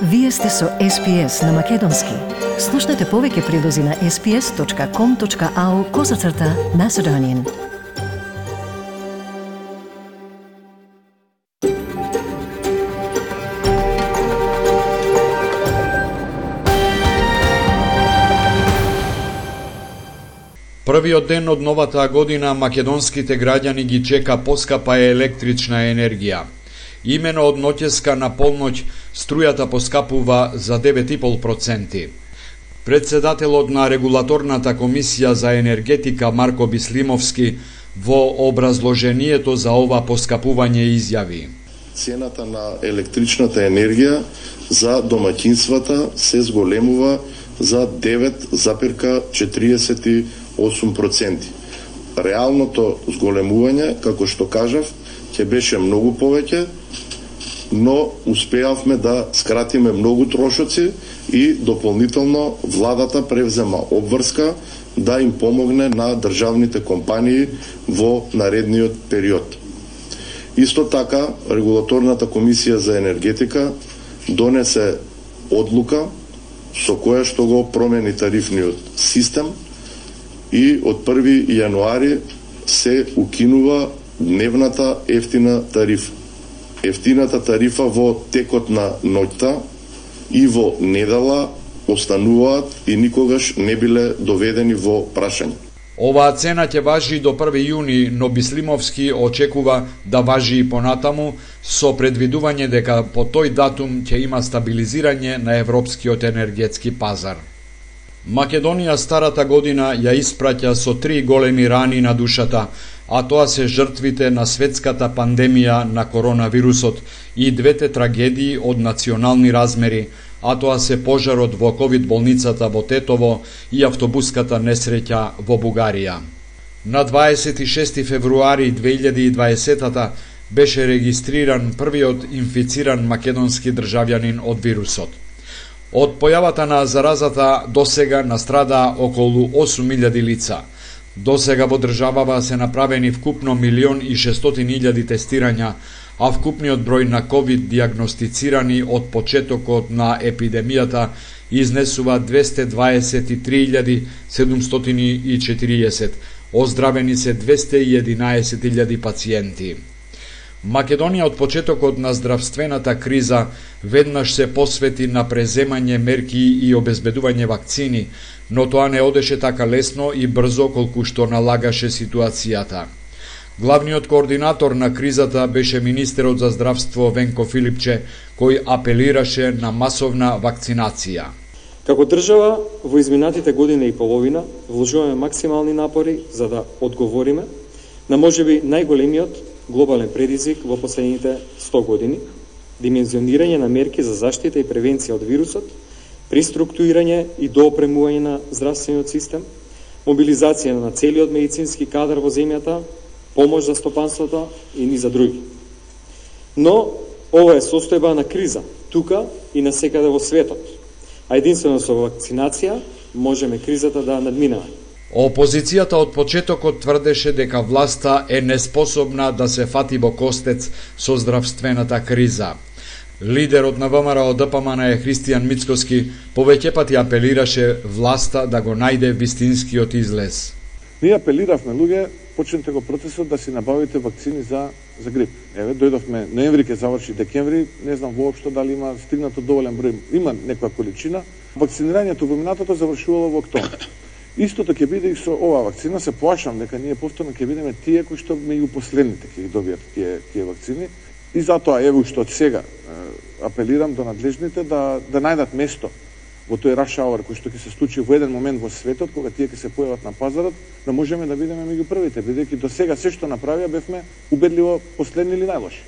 Вие сте со SPS на Македонски. Слушнете повеќе прилози на sps.com.au/Macedonian. Првиот ден од новата година македонските граѓани ги чека поскапа електрична енергија. Имено од ноќеска на полноќ струјата поскапува за 9,5%. Председателот на регулаторната комисија за енергетика Марко Бислимовски во образложението за ова поскапување изјави: Цената на електричната енергија за домаќинствата се зголемува за 9,48%. Реалното зголемување, како што кажав, ќе беше многу повеќе, но успеавме да скратиме многу трошоци и дополнително владата превзема обврска да им помогне на државните компании во наредниот период. Исто така, регулаторната комисија за енергетика донесе одлука со која што го промени тарифниот систем и од 1 јануари се укинува дневната ефтина тарифа. Ефтината тарифа во текот на ноќта и во недела остануваат и никогаш не биле доведени во прашање. Оваа цена ќе важи до 1 јуни, но Бислимовски очекува да важи и понатаму, со предвидување дека по тој датум ќе има стабилизирање на европскиот енергетски пазар. Македонија старата година ја испраќа со 3 големи рани на душата, а тоа се жртвите на светската пандемија на коронавирусот и двете трагедии од национални размери, а тоа се пожарот во ковид болницата во Тетово и автобуската несреќа во Бугарија. На 26 февруари 2020 беше регистриран првиот инфициран македонски државјанин од вирусот. Од појавата на заразата досега настрадаа околу 8.000 лица. Досега во државава се направени вкупно 1.600.000 тестирања, а вкупниот број на ковид диагностицирани од почетокот на епидемијата изнесува 223.740, оздравени се 211.000 пациенти. Македонија од почетокот на здравствената криза веднаш се посвети на преземање мерки и обезбедување вакцини, но тоа не одеше така лесно и брзо колку што налагаше ситуацијата. Главниот координатор на кризата беше министерот за здравство Венко Филипче, кој апелираше на масовна вакцинација. Како држава, во изминатите година и половина вложуваме максимални напори за да одговориме на можеби најголемиот глобален предизвик во последните 100 години, димензионирање на мерки за заштита и превенција од вирусот, приструктурирање и доопремување на здравствениот систем, мобилизација на целиот медицински кадар во земјата, помош за стопанството и ни за други. Но ова е состојба на криза, тука и насекаде во светот, а единствено со вакцинација можеме кризата да надминеме. Опозицијата од почетокот тврдеше дека власта е неспособна да се фати во костец со здравствената криза. Лидерот на ВМРО ДПМН Христијан Мицкоски повеќе пати апелираше власта да го најде вистинскиот излез. Ние апелиравме луѓе, почнете го процесот да си набавите вакцини за грип. Еве, дојдовме ноември, ќе заврши декември, не знам воопшто дали има стигнато доволен број, има некоја количина. Вакцинирањето во минатото завршувало во октомври. Истото ќе биде и со оваа вакцина, се плашам дека ние повторно ќе бидеме тие кои што меѓу последните ќе ги добијат тие вакцини. И затоа еве што од сега апелирам до надлежните да најдат место во тој rush hour кој што ќе се случи во еден момент во светот кога тие ќе се појават на пазарот, да можеме да бидеме меѓу првите, бидејќи до сега се што направија бевме убедливо последни или најлоши.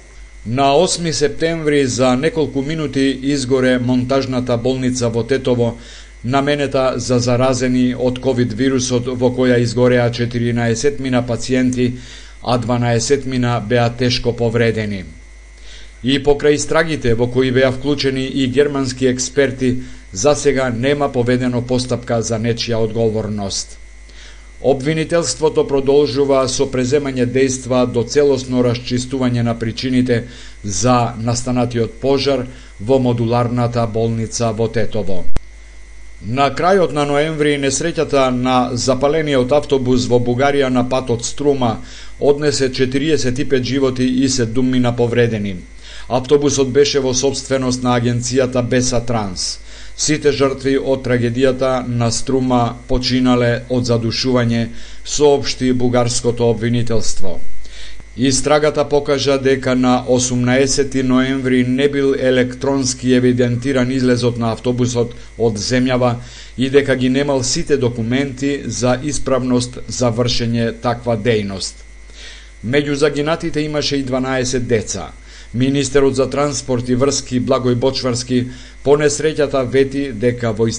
На 8 септември за неколку минути изгоре монтажната болница во Тетово, наменета за заразени од ковид вирусот, во која изгореа 14 пациенти, а 12 беа тешко повредени. И покрај истрагите во кои беа вклучени и германски експерти, за сега нема поведено постапка за нечија одговорност. Обвинителството продолжува со преземање дејства до целосно расчистување на причините за настанатиот пожар, во модуларната болница во Тетово. На крајот на ноември несреќата на запалениот автобус во Бугарија на патот Струма однесе 45 животи и 7 повредени. Автобусот беше во сопственост на агенцијата Беса Транс. Сите жртви од трагедијата на Струма починале од задушување, соопшти бугарското обвинителство. Истрагата покажа дека на 18 ноември не бил електронски евидентиран излезот на автобусот од земјава и дека ги немал сите документи за исправност за вршење таква дејност. Меѓу загинатите имаше и 12 деца. Министерот за транспорт и врски Благој Бочварски по несреќата вети дека во